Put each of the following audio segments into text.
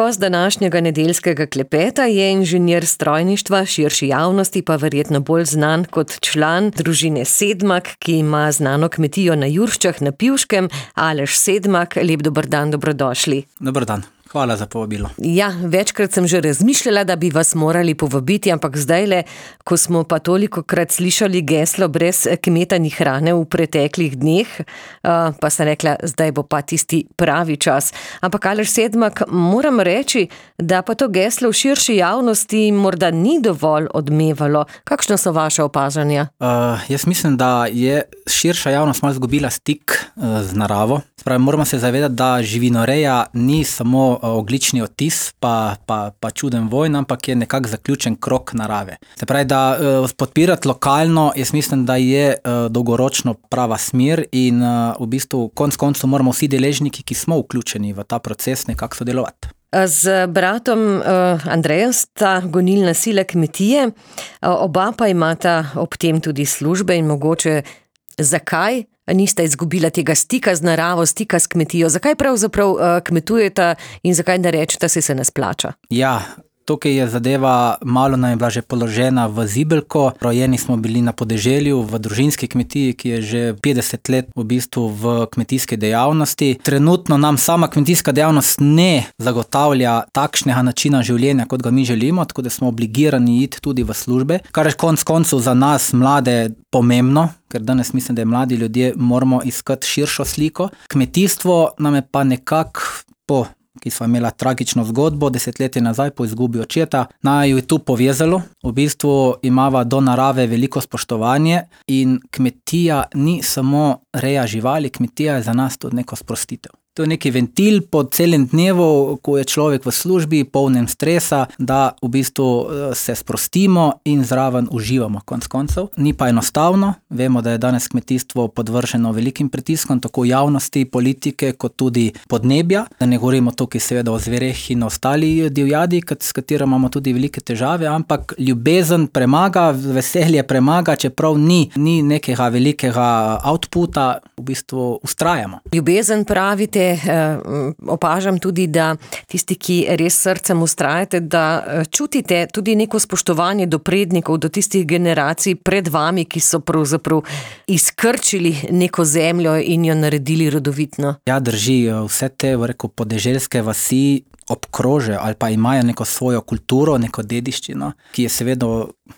gost današnjega nedeljskega klepeta je inženir strojništva, širši javnosti pa verjetno bolj znan kot član družine Sedmak, ki ima znano kmetijo na Jurščah na Pivškem. Aleš Sedmak, lep dober dan, dobrodošli. Dober dan. Hvala za povabilo. Ja, večkrat sem že razmišljala, da bi vas morali povabiti, ampak zdajle, ko smo pa tolikokrat slišali geslo brez kmeta ni hrane v preteklih dneh, pa sem rekla, zdaj bo pa tisti pravi čas. Ampak Aleš Sedmak, moram reči, da pa to geslo v širši javnosti morda ni dovolj odmevalo. Kakšno so vaše opažanja? Jaz mislim, da je širša javnost malo izgubila stik z naravo. Spravi, moramo se zavedati, da živinoreja ni samo oglični odtis pa čuden vojn, ampak je nekako zaključen krog narave. Se pravi, da podpirati lokalno, jaz mislim, da je dolgoročno prava smer in v bistvu konec koncev moramo vsi deležniki, ki smo vključeni v ta proces, nekako sodelovati. Z bratom Andrejem sta gonilna sila kmetije, oba pa imata ob tem tudi službe in mogoče zakaj nista izgubila tega stika z naravo, stika s kmetijo? Zakaj pravzaprav kmetujeta in zakaj ne rečeta, se ne splača? Ja, tukaj je zadeva malo nam je bila že položena v zibelko. Rojeni smo bili na podeželju, v družinski kmetiji, ki je že 50 let v bistvu v kmetijski dejavnosti. Trenutno nam sama kmetijska dejavnost ne zagotavlja takšnega načina življenja, kot ga mi želimo, tako da smo obligirani iti tudi v službe, kar je konec koncev za nas mlade pomembno, ker danes mislim, da je mladi ljudje moramo iskati širšo sliko. Kmetijstvo nam je pa nekako ki sva imela tragično zgodbo 10 let nazaj po izgubi očeta, naju je tu povezalo. V bistvu imava do narave veliko spoštovanje in kmetija ni samo reja živali, kmetija je za nas tudi neko sprostitev. To je neki ventil po celem dnevu, ko je človek v službi, polnem stresa, da v bistvu se sprostimo in zraven uživamo konec koncev. Ni pa enostavno, vemo, da je danes kmetijstvo podvrženo velikim pritiskom, tako javnosti, politike, kot tudi podnebja. Da ne govorimo tukaj seveda o zvereh in ostali divjadi, s katero imamo tudi velike težave, ampak ljubezen premaga, veselje premaga, čeprav ni nekega velikega outputa, v bistvu ustrajamo. Ljubezen pravite, opažam tudi, da tisti, ki res srcem ustrajate, da čutite tudi neko spoštovanje do prednikov, do tistih generacij pred vami, ki so pravzaprav izkrčili neko zemljo in jo naredili rodovitno. Ja, drži, vse te, podeželske vasi obkrože ali pa imajo neko svojo kulturo, neko dediščino, ki je seveda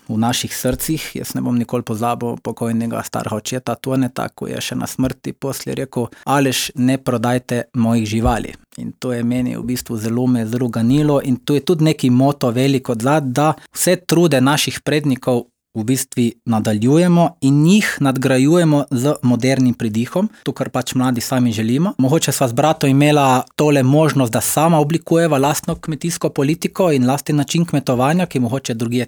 v naših srcih. Jaz ne bom nikoli pozabil pokojnega starega očeta Toneta, ko je še na smrti poslije rekel: Aleš, ne prodajte mojih živali. In to je meni v bistvu zelo ganilo in to je tudi neki moto veliko odzad, da vse trude naših prednikov v bistvu nadaljujemo in jih nadgrajujemo z modernim pridihom, to, kar pač mladi sami želimo. Mogoče sva z bratom imela tole možnost, da sama oblikujeva lastno kmetijsko politiko in lastni način kmetovanja, ki mogoče drugje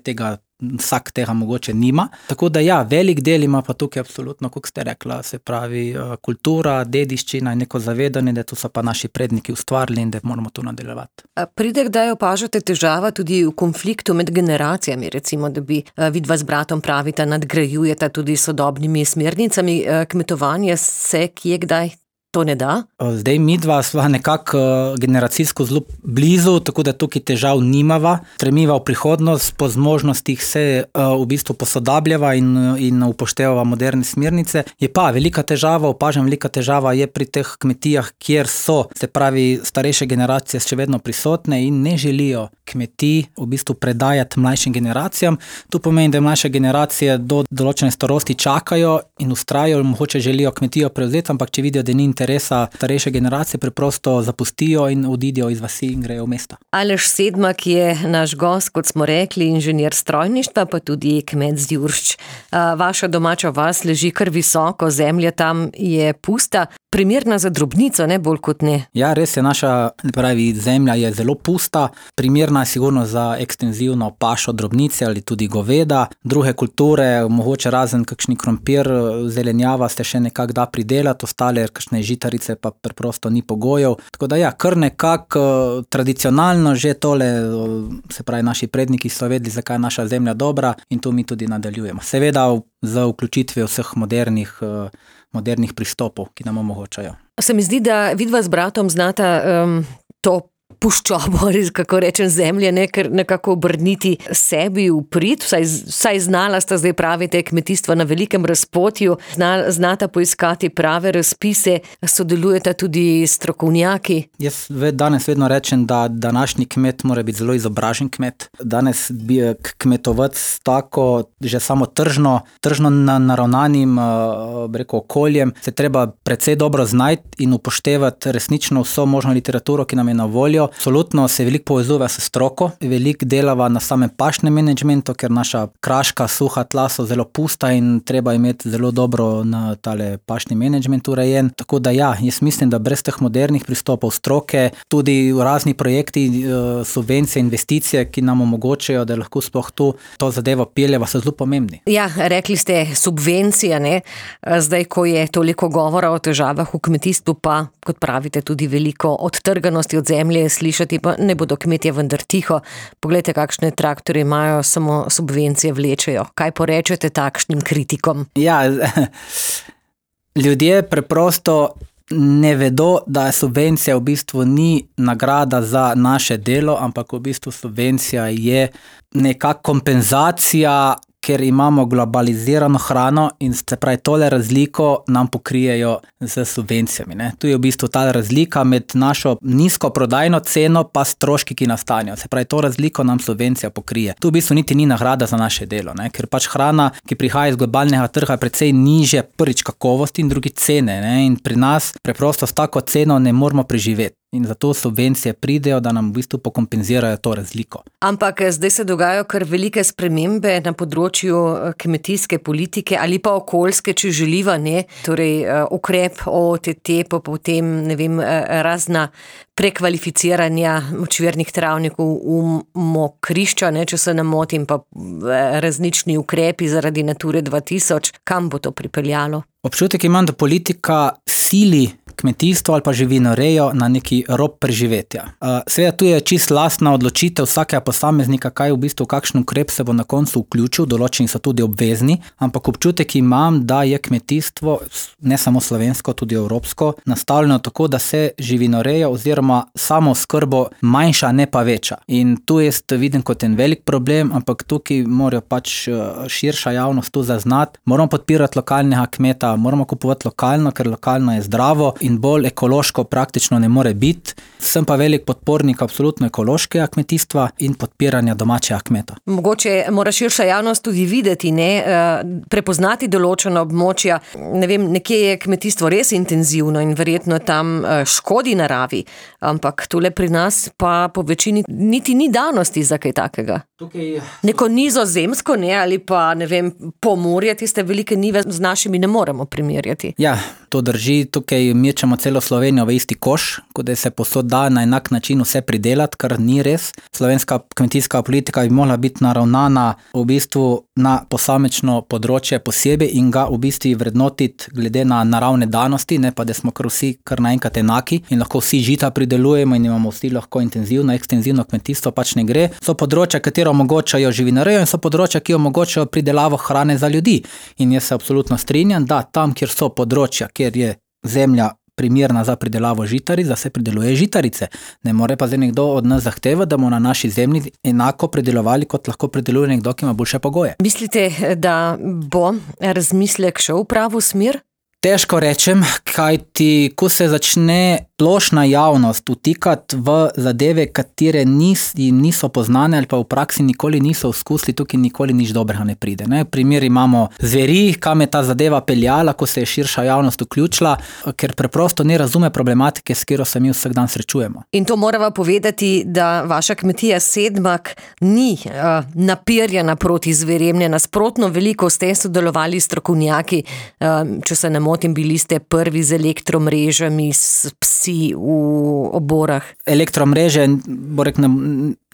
vsak tega mogoče nima. Tako da ja, velik del ima pa tukaj absolutno, kot ste rekla, se pravi kultura, dediščina in neko zavedanje, da to so pa naši predniki ustvarili in da moramo to nadaljevati. Pride kdaj opažate težava tudi v konfliktu med generacijami, recimo, da bi vidva z bratom pravita, nadgrajujeta tudi sodobnimi smernicami kmetovanja, se kje kdaj to ne da? Zdaj midva sva nekako generacijsko zelo blizu, tako da tukaj težav nimava. Stremiva v prihodnost, po zmožnostih se v bistvu posodabljava in upoštevava moderne smernice. Je pa velika težava, opažam, velika težava je pri teh kmetijah, kjer so, se pravi, starejše generacije še vedno prisotne in ne želijo kmetij v bistvu predajati mlajšim generacijam. To pomeni, da mlajše generacije do določene starosti čakajo in vztrajajo, mogoče želijo kmetijo prevzeti, ampak če vidijo, da ni interesa starejše generacije, preprosto zapustijo in odidejo iz vasi in grejo v mesta. Aleš Sedmak je naš gost, kot smo rekli, inženir strojništva, pa tudi kmet z Juršč. Vaša domača vas leži kar visoko, zemlja tam je pusta, primerna za drobnico, ne bolj kot ne. Ja, res je, naša zemlja je zelo pusta, primerna je sigurno za ekstenzivno pašo drobnice ali tudi goveda. Druge kulture, mogoče razen kakšni krompir, zelenjava se še nekako da pridelati, ostale kakšne žitarice pa preprosto ni pogojev. Tako da ja, kar nekako tradicionalno že tole, se pravi, naši predniki so vedeli, zakaj je naša zemlja dobra in to mi tudi nadaljujemo. Seveda za vključitve vseh modernih pristopov, ki nam omogočajo. Se mi zdi, da vidva z bratom znata to puščobo, kako rečem, zemlje, nekako obrniti sebi v prid, vsaj znala sta, zdaj pravite, kmetijstva na velikem razpotju, znata poiskati prave razpise, sodelujeta tudi strokovnjaki. Jaz danes vedno rečem, da današnji kmet mora biti zelo izobražen kmet. Danes bi kmetovec tako, že samo tržno naravnanim okoljem, se treba precej dobro znajti in upoštevati resnično vso možno literaturo, ki nam je na voljo. Absolutno se veliko povezuje s stroko, veliko delava na samem pašnem menedžmentu, ker naša kraška, suha tla so zelo pusta in treba imeti zelo dobro na tale pašni menedžment urejen. Tako da ja, jaz mislim, da brez teh modernih pristopov stroke, tudi razni projekti, subvencije, investicije, ki nam omogočajo, da lahko sploh to zadevo peljeva, so zelo pomembni. Ja, rekli ste subvencija, ne? Zdaj, ko je toliko govora o težavah v kmetijstvu, pa, kot pravite, tudi veliko odtrganosti od zemlje slišati, pa ne bodo kmetje vendar tiho. Poglejte, kakšne traktorje imajo, samo subvencije vlečejo. Kaj porečete takšnim kritikom? Ja, ljudje preprosto ne vedo, da subvencija v bistvu ni nagrada za naše delo, ampak v bistvu subvencija je neka kompenzacija, ker imamo globalizirano hrano in se pravi tole razliko nam pokrijejo z subvencijami. Ne? Tu je v bistvu ta razlika med našo nizko prodajno ceno pa stroški, ki nastanejo. Se pravi, to razliko nam subvencija pokrije. Tu v bistvu niti ni nagrada za naše delo, ne? Ker pač hrana, ki prihaja iz globalnega trga, je precej nižje prvič kakovosti in drugi cene. Ne? In pri nas preprosto s tako ceno ne moramo preživeti. In zato subvencije pridejo, da nam v bistvu pokompenzirajo to razliko. Ampak zdaj se dogajajo kar velike spremembe na področju kmetijske politike ali pa okoljske, če želiva, ne? Torej, ukrep OTT, pa potem, ne vem, razna prekvalificiranja močvirnih travnikov v mokrišča, ne, če se ne motim, pa različni ukrepi zaradi Nature 2000. Kam bo to pripeljalo? Občutek imam, da politika sili kmetijstvo ali pa živinorejo na neki rob preživetja. Seveda tu je čisto lastna odločitev vsakega posameznika, kaj v bistvu, kakšen ukrep se bo na koncu vključil, določeni so tudi obvezni, ampak občutek imam, da je kmetijstvo, ne samo slovensko, tudi evropsko, nastavljeno tako, da se živinoreja oziroma samo skrbo manjša, ne pa veča. In tu jaz vidim kot en velik problem, ampak tukaj morajo pač širša javnost tu zaznati. Moramo podpirati lokalnega kmeta, moramo kupovati lokalno, ker lokalno je zdravo in bolj ekološko praktično ne more biti. Sem pa velik podpornik absolutno ekološkega kmetijstva in podpiranja domačega kmeta. Mogoče mora širša javnost tudi videti, ne, prepoznati določena območja. Ne vem, nekje je kmetijstvo res intenzivno in verjetno tam škodi naravi, ampak tule pri nas pa po večini niti ni danosti za kaj takega. Neko Nizozemsko, ne, ali pa, ne vem, Pomurje, tiste velike nive z našimi ne moremo primerjati. Ja, to drži, tukaj mečemo celo Slovenijo v isti koš, kot da se posod da na enak način vse pridelati, kar ni res. Slovenska kmetijska politika bi morala biti naravnana v bistvu na posamečno področje posebej in ga v bistvu vrednotiti glede na naravne danosti, ne pa da smo vsi kar naenkrat enaki in lahko vsi žita pridelujemo in imamo vsi lahko intenzivno, ekstenzivno kmetijstvo, pač ne gre. So področja, katero omogočajo živinorejo in so področja, ki omogočajo pridelavo hrane za ljudi. In jaz se absolutno strinjam, da tam, kjer so področja, kjer je zemlja primerna za pridelavo žitaric, da se prideluje žitarice. Ne more pa zdaj nekdo od nas zahteva, da bomo na naši zemlji enako pridelovali, kot lahko prideluje nekdo, ki ima boljše pogoje. Mislite, da bo razmislek šel v pravo smer? Težko rečem, kajti ko se začne splošna javnost vtikati v zadeve, katere niso poznane ali pa v praksi nikoli niso izkusili, tukaj nikoli nič dobrega ne pride. Ne? Primer imamo zveri, kam je ta zadeva peljala, ko se je širša javnost vključila, ker preprosto ne razume problematike, s katero se mi vsak dan srečujemo. In to morava povedati, da vaša kmetija Sedmak ni napirjena proti zverem, ne nasprotno, veliko ste sodelovali s strokovnjaki, če se ne motim, bili ste prvi z elektromrežami, s psi v oborah. Elektromreže,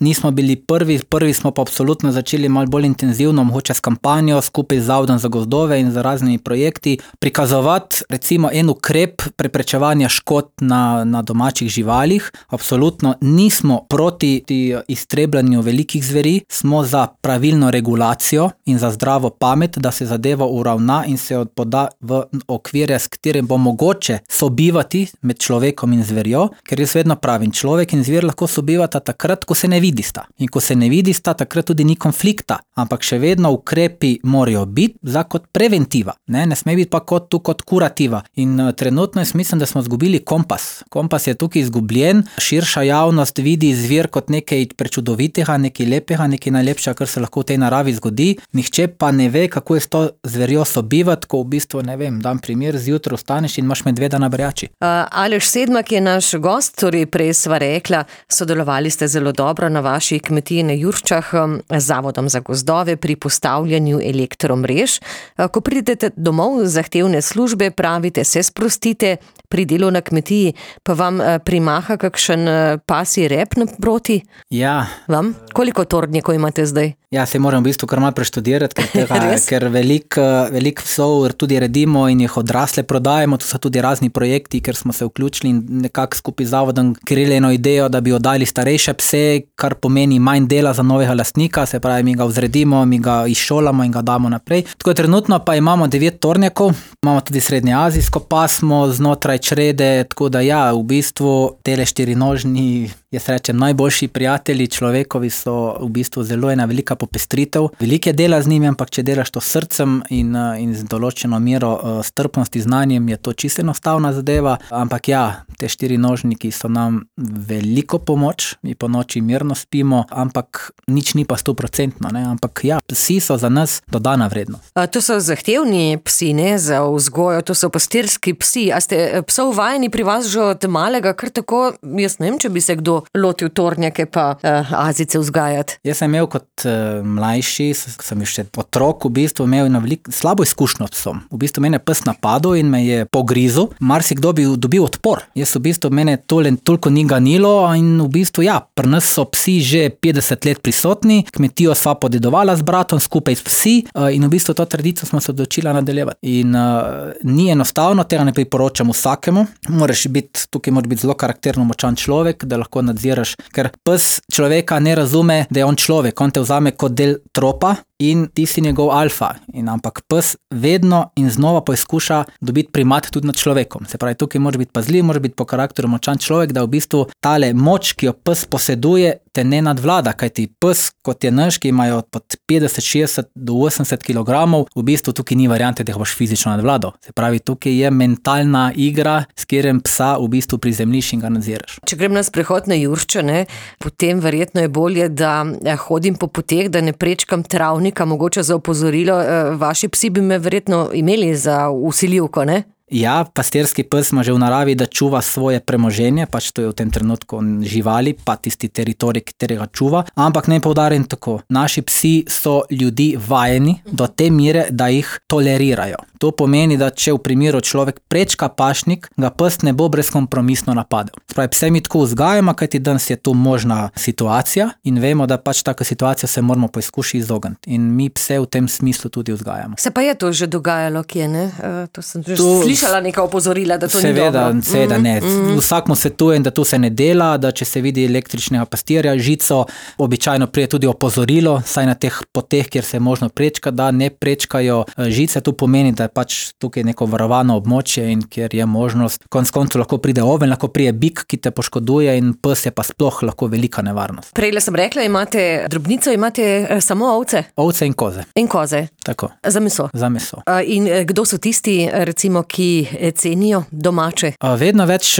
nismo bili prvi smo pa absolutno začeli malo bolj intenzivno, mogoče s kampanjo, skupaj z Zavodom za gozdove in z raznimi projekti, prikazovati recimo en ukrep preprečevanja škod na domačih živalih. Absolutno nismo proti iztrebljanju velikih zveri, smo za pravilno regulacijo in za zdravo pamet, da se zadeva uravna in se poda v okvirje, s katerim bo mogoče sobivati med človekom in zverjo, ker jaz vedno pravim, človek in zver lahko sobivata takrat, ko se ne vidista. In ko se ne vidista, takrat tudi ni konflikta, ampak še vedno ukrepi morajo biti za kot preventiva, ne sme biti pa kot kurativa. In trenutno jaz mislim, da smo izgubili kompas. Kompas je tukaj izgubljen, širša javnost vidi zver kot nekaj prečudovitega, nekaj lepega, nekaj najlepšega, kar se lahko v tej naravi zgodi, nihče pa ne ve, kako je s to zverjo sobivati, ko v bistvu, ne vem, dam primer, zjutraj vstaneš in imaš medveda na brjači. Aleš Sedmak je naš gost, torej prej sva rekla, sodelovali ste zelo dobro na vaši kmetiji na Jurščah z Zavodom za gozdove pri postavljanju elektromrež. Ko pridete domov z zahtevne službe, pravite, se sprostite, pri delu na kmetiji pa vam primaha kakšen pasji rep naproti? Ja. Vam? Koliko tornjekov imate zdaj? Ja, se moram v bistvu kar malo preštudirati, ker veliko psov tudi redimo in jih odrasle prodajemo, to so tudi razni projekti, ker smo se vključili in nekako skupaj z Zavodom krili eno idejo, da bi oddali starejše pse, kar pomeni manj dela za novega lastnika, se pravi, mi ga vzredimo, mi ga izšolamo in ga damo naprej. Tako trenutno pa imamo 9 tornjakov, imamo tudi srednjeazijsko pasmo znotraj črede, tako da ja, v bistvu tele štirinožni, jaz rečem, najboljši prijatelji človekovi so v bistvu zelo ena velika popestritev. Veliko je dela z njimi, ampak če delaš to s srcem in z določeno mero strpnosti, znanjem, je to čisto enostavna zadeva, ampak ja, te štirinožniki so nam veliko pomoč, mi po noči mirno spimo, ampak nič ni pa 100%, ne, ampak ja, psi so za nas dodana vrednost. To so zahtevni psi, ne, za vzgojo, to so pastirski psi. A ste psov vajeni pri vas že od malega, kar tako, jaz ne vem, če bi se kdo lotil tornjake pa azice vzgajati? Jaz sem imel kot mlajši, sem še otrok, v bistvu imel na slabo izkušnjo s psom. V bistvu mene pes napadel in me je pogrizel. Marsikdo bi dobil odpor. Jaz v bistvu mene toliko ni ganilo in v bistvu ja, pri nas so psi že 50 let prisotni, kmetijo sva podedovala z bratom skupaj s psi in v bistvu to tradicijo smo se odločila nadaljevati. In ni enostavno, tega ne priporočam vsakemu. Tukaj moraš biti zelo karakterno močan človek, da lahko nadziraš, ker pes človeka ne razume, da je on človek, on te vzame kot del tropa in ti si njegov alfa. Ampak pes vedno in znova poizkuša dobiti primat tudi nad človekom. Se pravi, tukaj moraš biti pazljiv, moraš biti po karakteru močan človek, da v bistvu tale moč, ki jo pes poseduje, te ne nadvlada, kajti pes, kot je naš, ki imajo od 50, 60 do 80 kilogramov, v bistvu tukaj ni variante, da ga boš fizično nadvladal. Se pravi, tukaj je mentalna igra, s katerim psa v bistvu prizemljiš in ga nadziraš. Če grem na sprehod na Juršče, ne, potem verjetno je bolje, da hodim po poteh, da ne prečkam travnika, mogoče za opozorilo. Vaši psi bi me verjetno imeli za vsiljivko, ne? Ja, pastirski pes ima že v naravi, da čuva svoje premoženje, pač to je v tem trenutku živali, pa tisti teritorij, katerega čuva, ampak naj poudarim tako, naši psi so ljudi vajeni do te mere, da jih tolerirajo. To pomeni, da če v primeru človek prečka pašnik, ga pes ne bo brezkompromisno napadel. Spravi, pse mi tako vzgajamo, kajti danes je tu možna situacija in vemo, da pač taka situacija se moramo poizkušati izogniti. In mi pse v tem smislu tudi vzgajamo. Se pa je to že dogajalo, kje ne? To sem že slišala neka opozorila, da to ni dobro. Seveda ne. Vsak mu svetuje, da to se ne dela, da če se vidi električnega pastirja, žico, običajno prije tudi opozorilo, saj na teh poteh, kjer se je možno prečkati, da ne prečkajo žice. To pomeni, da je pač tukaj neko varovano območje in kjer je možnost, konec koncev lahko pride oven, lahko pride bik, ki te poškoduje in pes je pa sploh lahko velika nevarnost. Prejle sem rekla, imate drobnico, imate samo ovce? Ovce in koze. In koze? Tako. Za meso? Za meso. In kdo so tisti, recimo, ki cenijo domače? Vedno več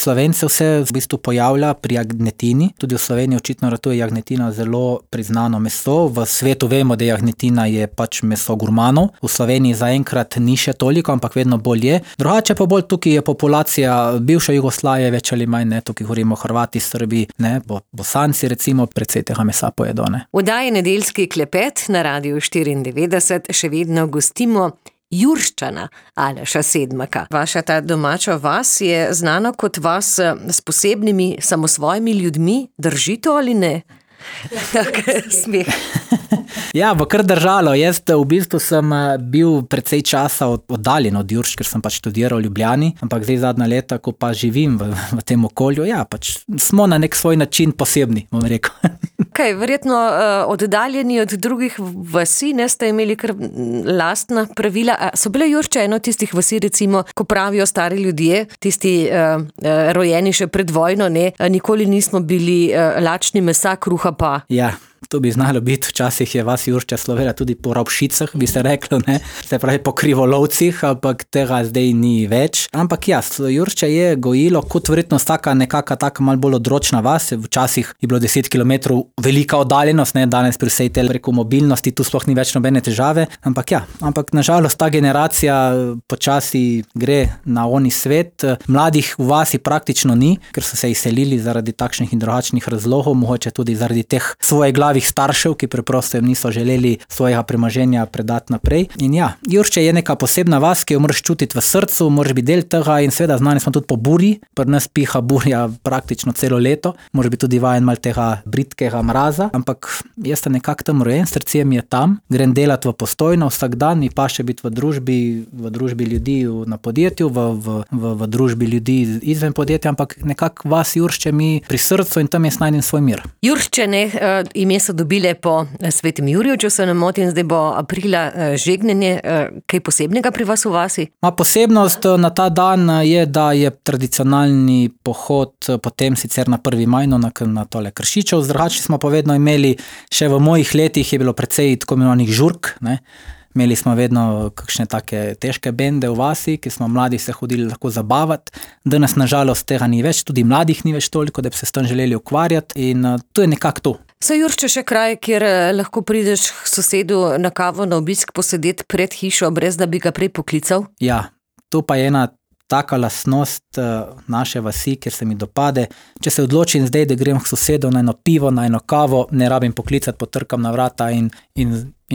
Slovencev se v bistvu pojavlja pri jagnjetini. Tudi v Sloveniji očitno ratuje jagnetina zelo priznano meso. V svetu vemo, da jagnetina je pač meso gurmanov. V Sloveniji zaenkrat ni še toliko, ampak vedno bolj je. Drugače pa bolj tukaj je populacija bivše Jugoslavije, več ali manj, ne, tukaj govorimo Hrvati, Srbi, ne, Bosanci recimo, precej tega mesa pojedo, ne. V oddaji Nedeljski klepet na Radiu 94 še vedno gostimo Jurščana Aleša Sedmaka. Vaša ta domača vas je znana kot vas s posebnimi samosvojimi ljudmi. Drži to ali ne? Tak smeh. Ja, bo kar držalo. Jaz v bistvu sem bil precej časa oddaljen od Jurš, ker sem pač študiral v Ljubljani, ampak zdaj zadnja leta, ko pa živim v tem okolju, ja, pač smo na nek svoj način posebni, bom rekel. Kaj, verjetno oddaljeni od drugih vasi, ne ste imeli kar lastna pravila. So bile Juršče eno tistih vasi, recimo, ko pravijo stari ljudje, tisti rojeni še pred vojno, ne, nikoli nismo bili lačni mesa, kruha pa. Ja. To bi znalo biti, včasih je vas Juršča slovela tudi po rovšicah, bi se reklo, ne? Se pravi po krivolovcih, ampak tega zdaj ni več. Ampak ja, Juršča je gojilo kot verjetno vsaka nekaka taka malo bolj odročna vas, včasih je bilo 10 kilometrov velika oddaljenost, ne? Danes pri vsej tej preko mobilnosti, tu sploh ni več nobene težave, ampak ja, nažalost ta generacija počasi gre na oni svet. Mladih v vasi praktično ni, ker so se izselili zaradi takšnih in drugačnih razlogov, mogoče tudi zaradi teh svoje glavih staršev, ki preprosto jim niso želeli svojega premoženja predati naprej. In ja, Juršče je neka posebna vas, ki jo moraš čutiti v srcu, moraš biti del tega in seveda znani smo tudi po burji, pri nas piha burja praktično celo leto, moraš biti tudi vajen malo tega britkega mraza, ampak jaz sem nekako tam rojen, srce mi je tam, grem delati v Postojno vsak dan in pa še biti v družbi ljudi na podjetju, v družbi ljudi izven podjetja, ampak nekako vas Juršče mi pri srcu in tam jaz najdem svoj mir. Juršče, ime so dobile po Svetem Juriju, če se ne motim, zdaj bo aprila žegnenje. Kaj posebnega pri vas v vasi? Posebnost na ta dan je, da je tradicionalni pohod potem sicer na 1. maj, na tole Kršičev, drugače smo pa vedno imeli, še v mojih letih je bilo precej tako imenovanih žurk, ne. Imeli smo vedno kakšne take težke bende v vasi, ki smo mladi se hodili lahko zabavati. Danes nažalost tega ni več, tudi mladih ni več toliko, da bi se s tem želeli ukvarjati in to je nekako to. So Juršče še kraj, kjer lahko prideš k sosedu na kavo, na obisk posedeti pred hišo, brez da bi ga prej poklical? Ja, to pa je ena taka lastnost naše vasi, kjer se mi dopade. Če se odločim zdaj, da grem k sosedu na eno pivo, na eno kavo, ne rabim poklicati, potrkam na vrata in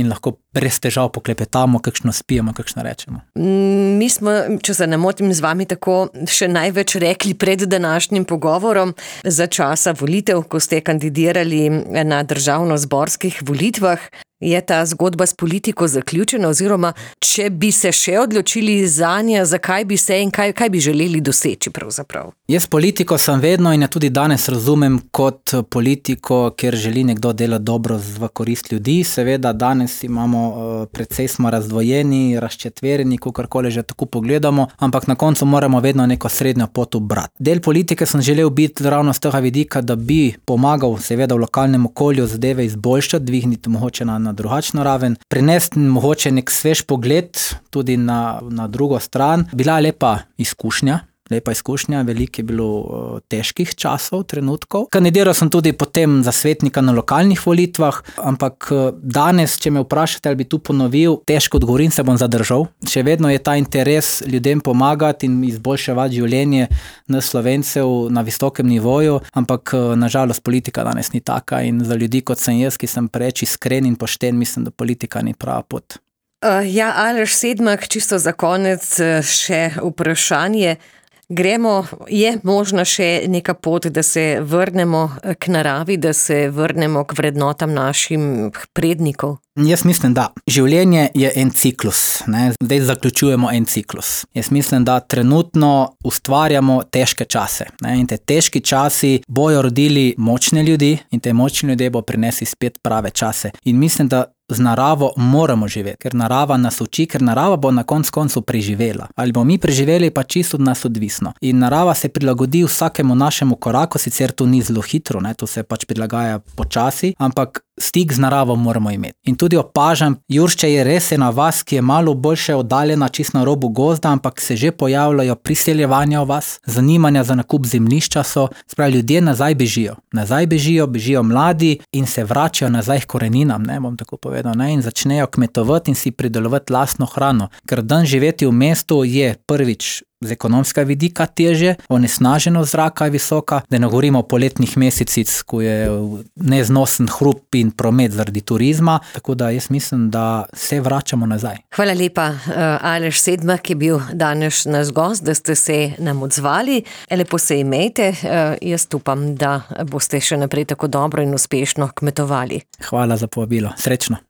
lahko brez težav poklepetamo, kakšno spijemo, kakšno rečemo. Mi smo, če se ne motim, z vami tako še največ rekli pred današnjim pogovorom za časa volitev, ko ste kandidirali na državno-zborskih volitvah. Je ta zgodba s politiko zaključena, oziroma če bi se še odločili zanje, zakaj bi se in kaj bi želeli doseči pravzaprav? Jaz politiko sem vedno in tudi danes razumem kot politiko, kjer želi nekdo delati dobro v korist ljudi. Seveda danes imamo, precej smo razdvojeni, razčetverjeni, kakorkoli že tako pogledamo, ampak na koncu moramo vedno neko srednjo pot ubrati. Del politike sem želel biti ravno z tega vidika, da bi pomagal seveda v lokalnem okolju zadeve izboljšati, dvigniti mogoče na drugačno raven, prinesti mogoče nek svež pogled tudi na drugo stran. Bila je lepa izkušnja, veliko je bilo težkih časov, trenutkov. Kandidiral sem tudi potem za svetnika na lokalnih volitvah, ampak danes, če me vprašate, ali bi tu ponovil, težko odgovorim, se bom zadržal. Še vedno je ta interes ljudem pomagati in izboljševati življenje nas Slovencev na visokem nivoju, ampak nažalost politika danes ni taka in za ljudi, kot sem jaz, ki sem preveč iskren in pošten, mislim, da politika ni prava pot. Ja, Aleš Sedmak, čisto za konec še vprašanje. Je možna še neka pot, da se vrnemo k naravi, da se vrnemo k vrednotam našim prednikov? Jaz mislim, da življenje je en ciklus, ne? Zdaj zaključujemo en ciklus. Jaz mislim, da trenutno ustvarjamo težke čase, ne? In te težki časi bojo rodili močne ljudi in te močni ljudje bo prinesli spet prave čase. In mislim, da z naravo moramo živeti, ker narava nas uči, ker narava bo na koncu preživela. Ali bomo mi preživeli, pa čisto od nas odvisno. In narava se prilagodi vsakemu našemu koraku, sicer to ni zelo hitro, ne? To se pač prilagaja počasi, ampak stik z naravo moramo imeti. In tudi opažam, Juršče je res ena vas, ki je malo boljše oddaljena čisto na robu gozda, ampak se že pojavljajo priseljevanja v vas, zanimanja za nakup zemljišča so, spravi ljudje nazaj bežijo mladi in se vračajo nazaj k koreninam, ne, bom tako povedal, ne, in začnejo kmetovati in si pridelovati lastno hrano, ker dan živeti v mestu je prvič z ekonomskega vidika težje, onesnaženost zraka je visoka, da ne govorimo o poletnih mesecih, ko je neznosen hrup in promet zaradi turizma, tako da jaz mislim, da se vračamo nazaj. Hvala lepa, Aleš Sedmak je bil danes naš gost, da ste se nam odzvali. Lepo se imejte, jaz upam, da boste še naprej tako dobro in uspešno kmetovali. Hvala za povabilo, srečno.